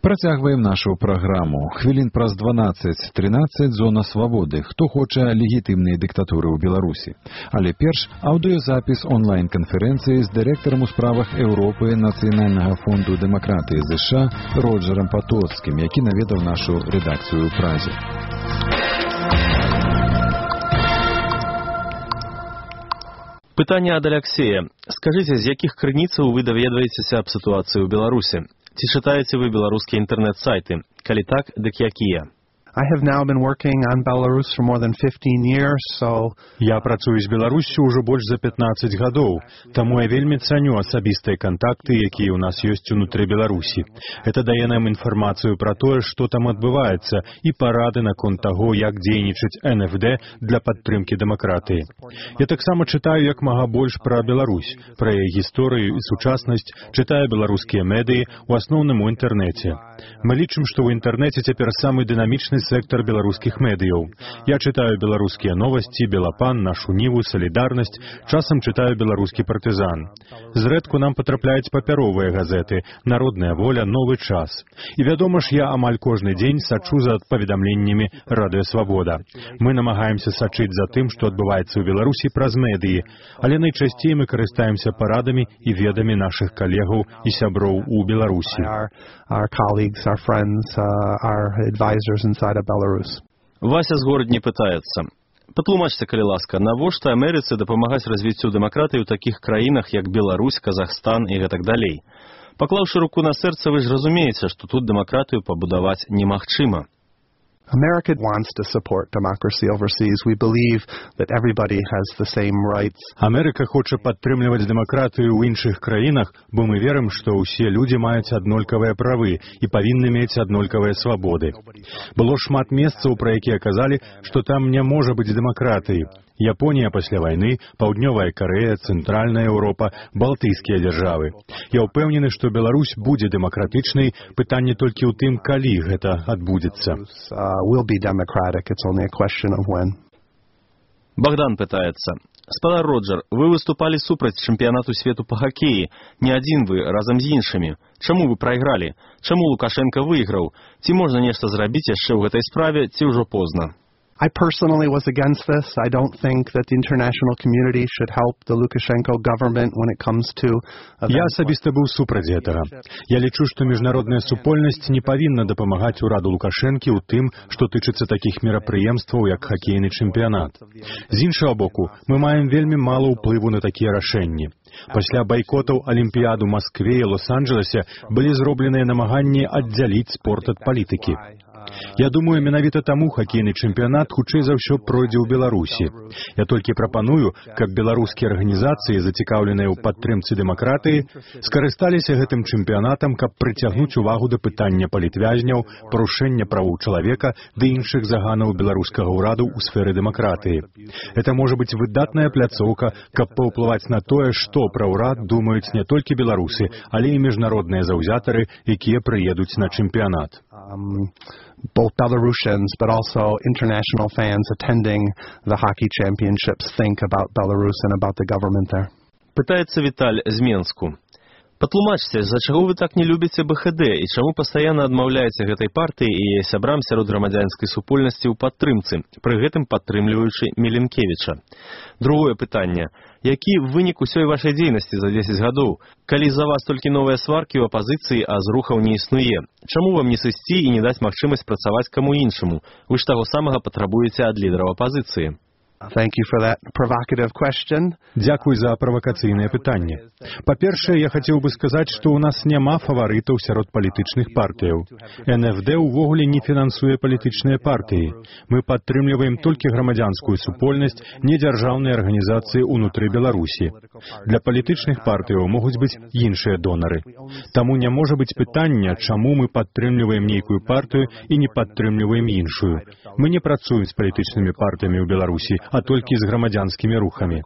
Працягваем нашу праграму. Хвілін праз 12-13 зона свабоды. Хто хоча легітымнай дыктатуры ў Беларусі. Але перш аўдыёзапіс онлайн-канферэнцыі з дырэктарам у справах Еўропы Нацыянальнага фонду дэмакратыі ЗША Роджерам Патоцкім, які наведаў нашу рэдакцыю ў Празе. Пытанне ад Аляксея. Скажыце, з якіх крыніцаў вы даведваецеся аб сітуацыі ў Беларусі? Ці чытаеце вы беларускія інтэрнэт-сайты? Калі так, дык якія? I have now been working on Belarus for more than 15 years, so... Я працую з Беларуссю ўжо больш за 15 гадоў, таму я вельмі цаню асабістыя кантакты, якія ў нас ёсць унутры Беларусі. Это дае нам інфармацыю пра тое, што там адбываецца, і парады наконт таго, як дзейнічаць НФД для падтрымкі дэмакратыі. Я таксама чытаю як мага больш пра Беларусь, пра яе гісторыю і сучаснасць, чытаю беларускія медыі, у асноўным у інтэрнэце. Мы лічым, што ў інтэрнэце цяпер самы дынамічны сектор беларускіх медыяў. Я чытаю беларускія новасці, Белапан, Нашу Ніву, Салідарнасць, часам чытаю беларускі партызан. Зрэдку нам патрапляюць папяровыя газеты, Народная воля, Новы час. І вядома ж, я амаль кожны дзень сачу за паведамленнямі Радыё Свабода. Мы намагаемся сачыць за тым, што адбываецца ў Беларусі праз медыі, але найчасцей мы карыстаемся парадамі і ведамі нашых калегаў і сяброў у Беларусі. Our colleagues, our friends, our advisors inside of Belarus. Вася з Городні пытаецца. Патлумачце, калі ласка, навошта Амерыцы дапамагаць развіццю дэмакратыі ў такіх краінах, як Беларусь, Казахстан і гэтак далей? Паклаўшы руку на сэрца, вы ж разумееце, што тут дэмакратыю пабудаваць немагчыма. America wants to support democracy overseas. We believe that everybody has the same rights. Амерыка хоча падтрымліваць дэмакратыю ў іншых краінах, бо мы верым, што ўсе людзі маюць аднолькавыя правы і павінны мець аднолькавыя свабоды. Было шмат месцаў, пра якія казалі, што там не можа быць дэмакратыі. Японія пасля вайны, Паўднёвая Карэя, Цэнтральная Еўропа, Балтыйскія дзяржавы. Я ўпэўнены, што Беларусь будзе дэмакратычнай, пытанне толькі ў тым, калі гэта адбудзецца. Богдан пытаецца. Спадар Роджер, вы выступалі супраць чэмпіянату свету па хакеі. Не адзін вы, разам з іншымі. Чаму вы прайгралі? Чаму Лукашенко выйграў? Ці можна нешта зрабіць яшчэ ў гэтай справе, ці ўжо позна? I personally was against this. I don't think that the international community should help the Lukashenko government when it comes to... Я асабіста быў супраць гэтага. Я лічу, што міжнародная супольнасць не павінна дапамагаць ураду Лукашэнкі ў тым, што тычыцца такіх мерапрыемстваў, як хакейны чэмпіянат. З іншага боку, мы маем вельмі мала ўплыву на такія рашэнні. Пасля байкотаў Алімпіяд у Маскве і Лос-Анджелесе былі зробленыя намаганні аддзяліць спорт ад палітыкі. Я думаю, менавіта таму хакейны чэмпіянат хутчэй за ўсё пройдзе ў Беларусі. Я толькі прапаную, каб беларускія арганізацыі, зацікаўленыя ў падтрымцы дэмакратыі, скарысталіся гэтым чэмпіянатам, каб прыцягнуць увагу да пытання палітвязняў, парушэння правоў чалавека ды іншых заганаў беларускага ўраду ў сферы дэмакратыі. Это можа быць выдатная пляцоўка, каб паўплываць на тое, што пра ўрад думаюць не толькі беларусы, але і міжнародныя заўзятары, якія прыедуць на чэмпіянат. Both Belarusians, but also international fans attending the hockey championships think about Belarus and about the government there. Пытаецца Віталь з Менску. Патлумачце, за чаго вы так не любіце БХД і чаму пастаянна адмаўляеце гэтай партыі і яе сябрам сярод грамадзянскай супольнасці ў падтрымцы, пры гэтым падтрымліваючы Міленкевіча? Другое пытанне. Які вынік усёй вашай дзейнасці за 10 гадоў? Калі за вас толькі новыя сваркі ў апазіцыі, а зрухаў не існуе? Чаму вам не сысці і не даць магчымасць працаваць каму іншаму? Вы ж таго самага патрабуеце ад лідараў апазіцыі. Thank you for that provocative question. Дзякуй за правакацыйнае пытанне. Па-першае, я хацеў бы сказаць, што ў нас няма фаварытаў сярод палітычных партыяў. НФД увогуле не фінансуе палітычныя партыі. Мы падтрымліваем толькі грамадзянскую супольнасць, недзяржаўныя арганізацыі ўнутры Беларусі. Для палітычных партыяў могуць быць іншыя донары. Таму не можа быць пытання, чаму мы падтрымліваем нейкую партыю і не падтрымліваем іншую. Мы не працуем з палітычнымі партыямі ў Беларусі, а толькі з грамадзянскімі рухамі.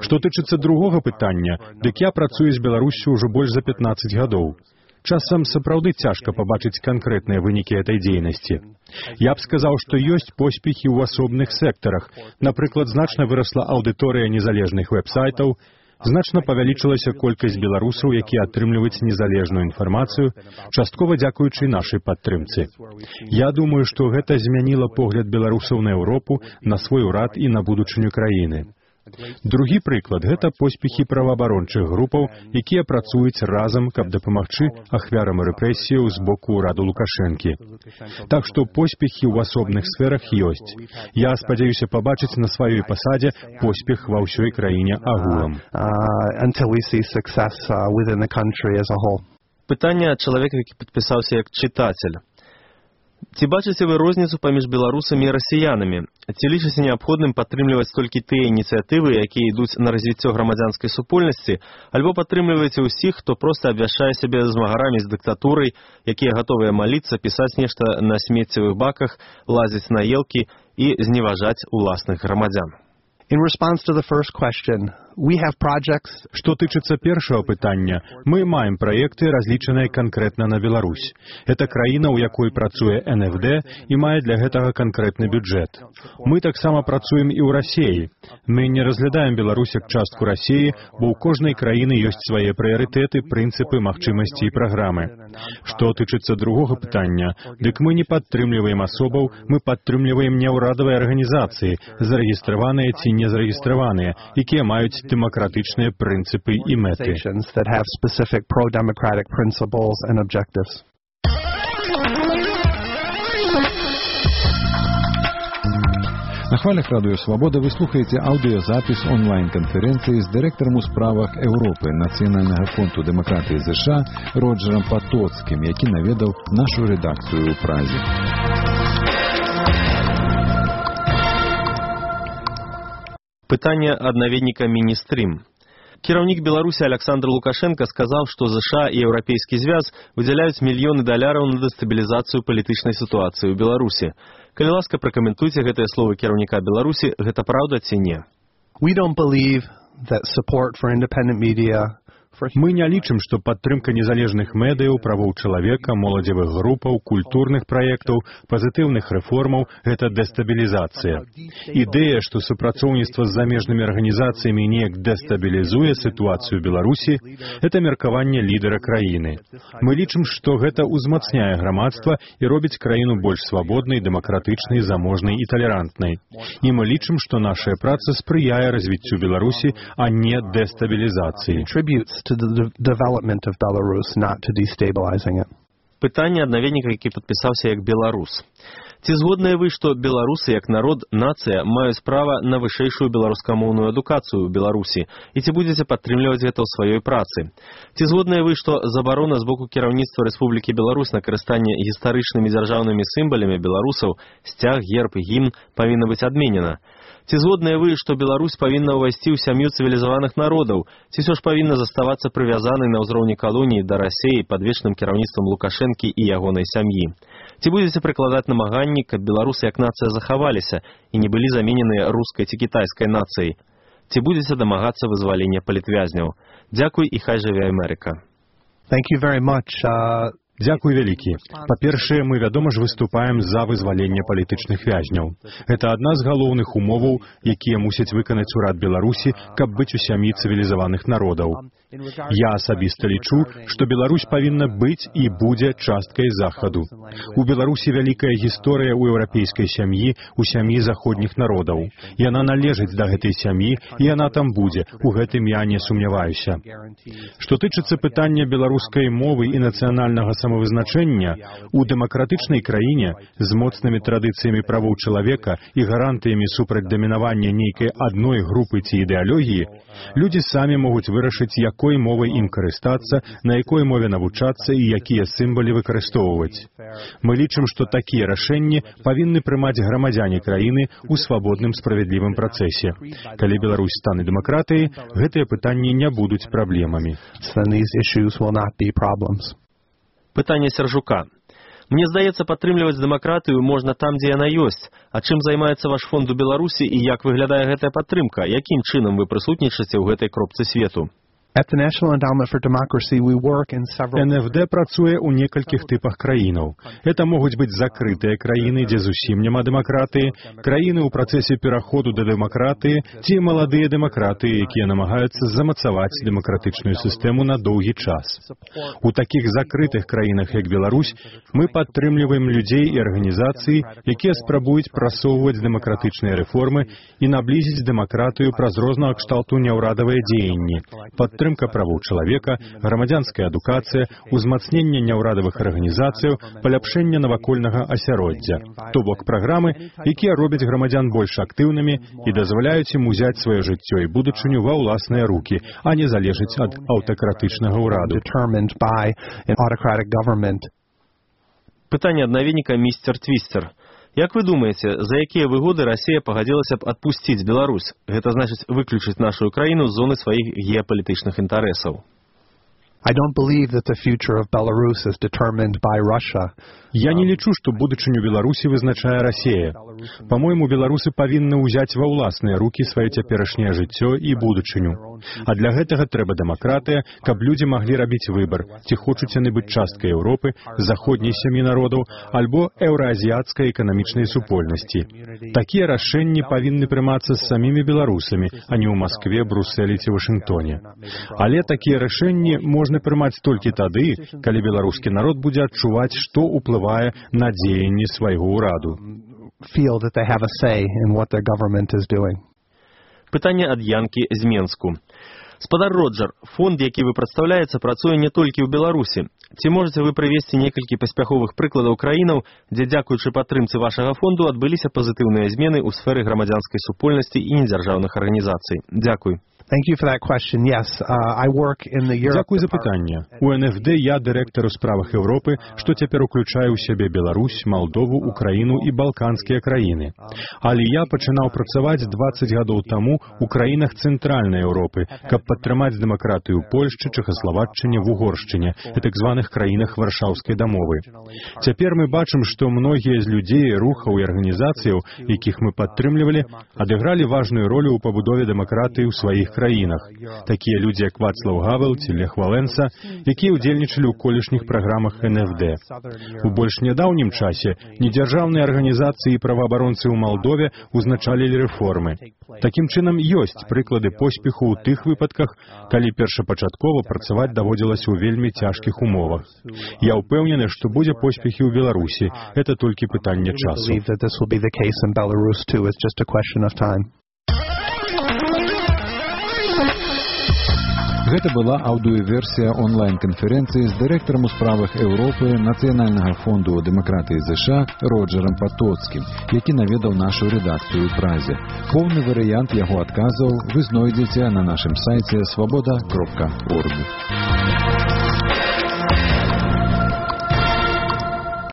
Што тычыцца другога пытання, дык я працую з Беларуссю ўжо больш за 15 гадоў. Часам сапраўды цяжка пабачыць канкрэтныя вынікі этой дзейнасці. Я б сказаў, што ёсць поспехі ў асобных сектарах. Напрыклад, значна вырасла аўдыторыя незалежных вэб-сайтаў, Значна павялічылася колькасць беларусаў, якія атрымліваюць незалежную інфармацыю, часткова дзякуючы нашай падтрымцы. Я думаю, што гэта змяніла погляд беларусаў на Еўропу, на свой урад і на будучыню краіны. Другі прыклад – гэта поспехі праваабарончых групаў, якія працуюць разам, каб дапамагчы ахвярам рэпрэсіяў з боку ўраду Лукашэнкі. Так што поспехі ў асобных сферах ёсць. Я спадзяюся пабачыць на сваёй пасадзе поспех ва ўсёй краіне агулам. Пытанне ад чалавека, які падпісаўся як чытацель. Ці бачыце вы розніцу паміж беларусамі і расіянамі? Ці лічыце неабходным падтрымліваць толькі тыя ініцыятывы, якія ідуць на развіццё грамадзянскай супольнасці, альбо падтрымліваеце ўсіх, хто проста абвяшчае сябе змагарамі з дыктатурай, якія гатовыя маліцца, пісаць нешта на смеццевых баках, лазіць на елкі і зневажаць уласных грамадзян? In response to the first question, we have projects. Што тычыцца першага пытання, мы маем праекты, разлічаныя канкрэтна на Беларусь. Это краіна, у якой працуе НФД і мае для гэтага канкрэтны бюджэт. Мы таксама працуем і ў Расіі. Мы не разглядаем Беларусь як частку Расіі, бо ў кожнай краіны ёсць свае прыярытэты, прынцыпы, магчымасці і праграмы. Што тычыцца другога пытання, дык мы не падтрымліваем асобаў, мы падтрымліваем няўрадавыя арганізацыі, зарэгістраваныя ці не зарэгістраваныя, якія маюць демократичные принципы и меты. На хвалях Радыё Свабода вы слухаеце аўдыёзапіс онлайн-канферэнцыі з дырэктарам у справах Еўропы Нацыянальнага фонду дэмакратыі ЗША Роджерам Патоцкім, які наведаў нашу рэдакцыю ў Празе. Пытанне ад наведніка Міністрім. Кіраўнік Беларусі Александр Лукашенко сказаў, што ЗША і Еўрапейскі звяз выдзяляюць мільёны даляраў на дэстабілізацыю палітычнай сітуацыі ў Беларусі. Калі ласка, пракаментуйце гэтыя словы кіраўніка Беларусі, гэта праўда ці не? We don't believe that support for independent media. Мы не лічым, што падтрымка незалежных медыяў, правоў чалавека, моладзевых групаў, культурных праектаў, пазітыўных рэформаў – гэта дэстабілізацыя. Ідэя, што супрацоўніцтва з замежнымі арганізацыямі неяк дэстабілізуе сітуацыю Беларусі – гэта меркаванне лідара краіны. Мы лічым, што гэта ўзмацняе грамадства і робіць краіну больш свабоднай, дэмакратычнай, заможнай і талерантнай. І мы лічым, што нашая праца спрыяе развіццю Беларусі, а не дэстабілізацыі. To the development of Belarus, not to destabilizing it. Пытанне ад наведніка, які падпісаўся як беларус. Ці згодныя вы, што беларусы як народ, нацыя маюць права на вышэйшую беларускамоўную адукацыю ў Беларусі і ці будзеце падтрымліваць гэта ў сваёй працы? Ці згодныя вы, што забарона з боку кіраўніцтва Рэспублікі Беларусь на карыстанне гістарычнымі дзяржаўнымі сімвалямі беларусаў, сцяг, герб і гімн павінна быць адменена? Ці згодныя вы, што Беларусь павінна ўвайсці ў сям'ю цывілізаваных народаў, ці ўсё ж павінна заставацца прывязанай на ўзроўні калоніі да Расіі пад вечным кіраўніцтвам Лукашэнкі і ягонай сям'і? Ці будзеце прыкладаць намаганні, каб беларусы як нацыя захаваліся і не былі заменены рускай ці кітайскай нацыяй? Ці будзеце дамагацца вызвалення палітвязняў? Дзякуй і хай жыве Амерыка. Thank you very much. Дзякуй вялікі. Па-першае, мы, вядома ж, выступаем за вызваленне палітычных вязняў. Гэта адна з галоўных умоваў, якія мусяць выканаць урад Беларусі, каб быць у сям'і цывілізаваных народаў. Я асабіста лічу, што Беларусь павінна быць і будзе часткай Захаду. У Беларусі вялікая гісторыя ў еўрапейскай сям'і, у сям'і заходніх народаў. Яна належыць да гэтай сям'і, і яна там будзе. У гэтым я не сумняваюся. Што тычыцца пытання беларускай мовы і нацыянальнага самавызначэння, у дэмакратычнай краіне з моцнымі традыцыямі правоў чалавека і гарантыямі супраць дамінавання нейкай адной групы ці ідэалогіі, людзі самі могуць вырашыць, якой мовай ім карыстацца, на якой мове навучацца і якія сімвалы выкарыстоўваць. Мы лічым, што такія рашэнні павінны прымаць грамадзяне краіны ў свабодным справядлівым працэсе. Калі Беларусь стане дэмакратыяй, гэтыя пытанні не будуць праблемамі. Пытанне Сяржука. Мне здаецца, падтрымліваць дэмакратыю можна там, дзе яна ёсць. А чым займаецца ваш фонд у Беларусі і як выглядае гэтая падтрымка? Якім чынам вы прысутнічаце ў гэтай кропцы свету? At the National Endowment for Democracy we work in several НФД працуе ў некалькіх тыпах краінаў. Это могуць быць закрытыя краіны, дзе зусім няма дэмакратыі, краіны ў працэсе пераходу да дэмакратыі ці маладыя дэмакратыі, якія намагаюцца замацаваць дэмакратычную сістэму на доўгі час. У такіх закрытых краінах, як Беларусь, мы падтрымліваем людзей і арганізацыі, якія спрабуюць прасоўваць дэмакратычныя рэформы і наблізіць дэмакратыю праз рознага кшталту няўрадавыя дзеянні, падтрымка правоў чалавека, грамадзянская адукацыя, узмацненне няўрадавых арганізацыяў, паляпшэнне навакольнага асяроддзя. То бок праграмы, якія робяць грамадзян больш актыўнымі і дазваляюць ім узяць сваё жыццё і будучыню ва ўласныя рукі, а не залежыць ад аўтакратычнага ўраду. Пытанне ад наведніка містер Твістер. Як вы думаеце, за якія выгоды Расія пагадзілася б адпусціць Беларусь? Гэта значыць выключыць нашу краіну з зоны сваіх геапалітычных інтарэсаў. I don't believe that the future of Belarus is determined by Russia. Я не лічу, што будучыню Беларусі вызначае Расія. Па-мойму, беларусы павінны ўзяць ва ўласныя рукі сваё цяперашняе жыццё і будучыню. А для гэтага трэба дэмакратыя, каб людзі маглі рабіць выбар, ці хочуць яны быць часткай Еўропы, заходняй сям'і народаў, альбо еўраазіяцкай эканамічнай супольнасці. Такія рашэнні павінны прымацца з самімі беларусамі, а не ў Маскве, Брусэлі ці Вашынгтоне. Але такія рашэнні можна прымаць толькі тады, калі беларускі народ будзе адчуваць, што ўплывае на дзеянні свайго ўраду. Пытанне ад Янкі з Менску. Спадар Роджер, фонд, які вы прадстаўляеце, працуе не толькі ў Беларусі. Ці можаце вы прывесці некалькі паспяховых прыкладаў краінаў, дзе, дзякуючы падтрымцы вашага фонду, адбыліся пазітыўныя змены ў сферы грамадзянскай супольнасці і недзяржаўных арганізацый? Дзякуй. Thank you for that question. Yes, I work in the Europe. Дзякуй за пытанне. У НФД я дырэктар у справах Еўропы, што цяпер уключае ў сябе Беларусь, Малдову, Украіну і балканскія краіны. Але я пачынаў працаваць 20 гадоў таму ў краінах цэнтральнай Еўропы, каб падтрымаць дэмакратыю ў Польшчы, Чэхаславаччыне, в Угоршчыне, і так званых краінах Варшаўскай дамовы. Цяпер мы бачым, што многія з людзей, рухаў і арганізацыяў, якіх мы падтрымлівалі, адыгралі важную ролю ў пабудове дэмакратыі ў сваіх краінах. Такія людзі, як Вацлаў Гавел ці Лех Валенса, якія ўдзельнічалі ў колішніх праграмах НФД. У больш нядаўнім часе недзяржаўныя арганізацыі і праваабаронцы ў Малдове узначалілі рэформы. Такім чынам, ёсць прыклады поспеху ў тых выпадках, калі першапачаткова працаваць даводзілася ў вельмі цяжкіх умовах. Я ўпэўнены, што будзе поспехі ў Беларусі. Гэта толькі пытанне часу. Гэта была аўдыёверсія онлайн-канферэнцыі з дырэктарам у справах Еўропы Нацыянальнага фонду дэмакратыі ЗША Роджерам Патоцкім, які наведаў нашу рэдакцыю ў Празе. Поўны варыянт яго адказаў вы знойдзеце на нашым сайце swaboda.org.